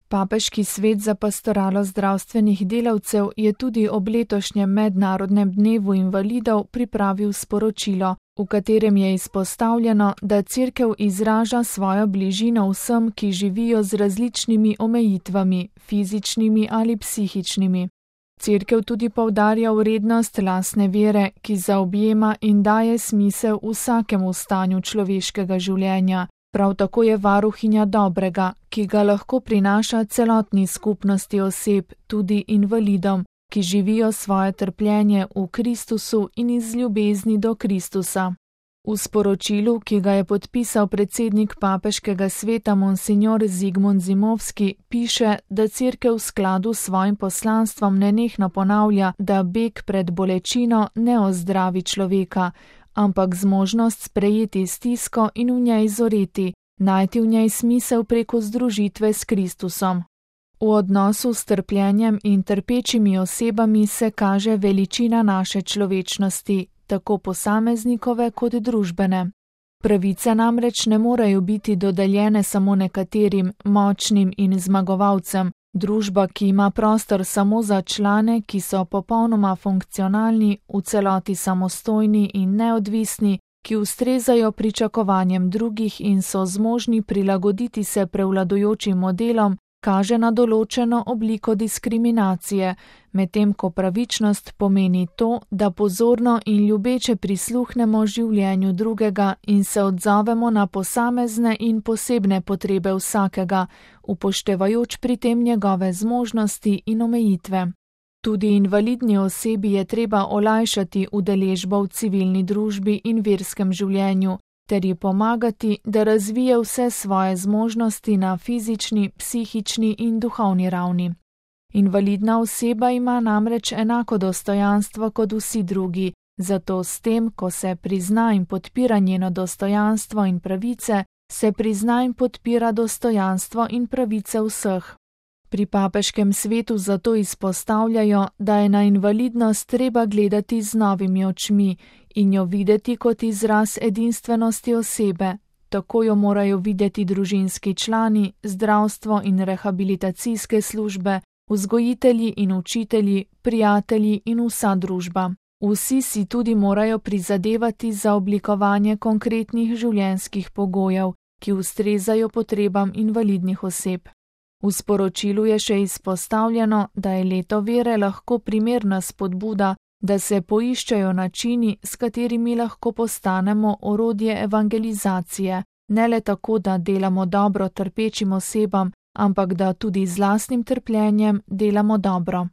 Papeški svet za pastoralo zdravstvenih delavcev je tudi ob letošnjem mednarodnem dnevu invalidov pripravil sporočilo, v katerem je izpostavljeno, da Cerkev izraža svojo bližino vsem, ki živijo z različnimi omejitvami, fizičnimi ali psihičnimi. Cerkev tudi poudarja vrednost lastne vere, ki zaobjema in daje smisel vsakemu stanju človeškega življenja. Prav tako je varuhinja dobrega, ki ga lahko prinaša celotni skupnosti oseb, tudi invalidom, ki živijo svoje trpljenje v Kristusu in iz ljubezni do Kristusa. V sporočilu, ki ga je podpisal predsednik papeškega sveta monsignor Zigmund Zimovski, piše, da Cerkev v skladu s svojim poslanstvom nenehno ponavlja, da beg pred bolečino ne ozdravi človeka, ampak zmožnost sprejeti stisko in v njej zoreti, najti v njej smisel preko združitve s Kristusom. V odnosu s trpljenjem in trpečimi osebami se kaže veličina naše človečnosti, tako posameznikove kot družbene. Pravice namreč ne morejo biti dodeljene samo nekaterim, močnim in zmagovalcem. Družba, ki ima prostor samo za člane, ki so popolnoma funkcionalni, v celoti samostojni in neodvisni, ki ustrezajo pričakovanjem drugih in so zmožni prilagoditi se prevladujočim modelom, kaže na določeno obliko diskriminacije, medtem ko pravičnost pomeni to, da pozorno in ljubeče prisluhnemo življenju drugega in se odzovemo na posamezne in posebne potrebe vsakega, upoštevajoč pri tem njegove zmožnosti in omejitve. Tudi invalidni osebi je treba olajšati udeležbo v civilni družbi in verskem življenju, ter ji pomagati, da razvije vse svoje zmožnosti na fizični, psihični in duhovni ravni. Invalidna oseba ima namreč enako dostojanstvo kot vsi drugi, zato s tem, ko se prizna in podpira njeno dostojanstvo in pravice, se prizna in podpira dostojanstvo in pravice vseh. Pri papeškem svetu zato izpostavljajo, da je na invalidnost treba gledati z novimi očmi in jo videti kot izraz edinstvenosti osebe. Tako jo morajo videti družinski člani, zdravstvo in rehabilitacijske službe, vzgojitelji in učitelji, prijatelji in vsa družba. Vsi si tudi morajo prizadevati za oblikovanje konkretnih življenjskih pogojev, ki ustrezajo potrebam invalidnih oseb. V sporočilu je še izpostavljeno, da je leto vere lahko primerna spodbuda, da se poiščejo načini, s katerimi lahko postanemo orodje evangelizacije, ne le tako, da delamo dobro trpečim osebam, ampak da tudi z lastnim trpljenjem delamo dobro.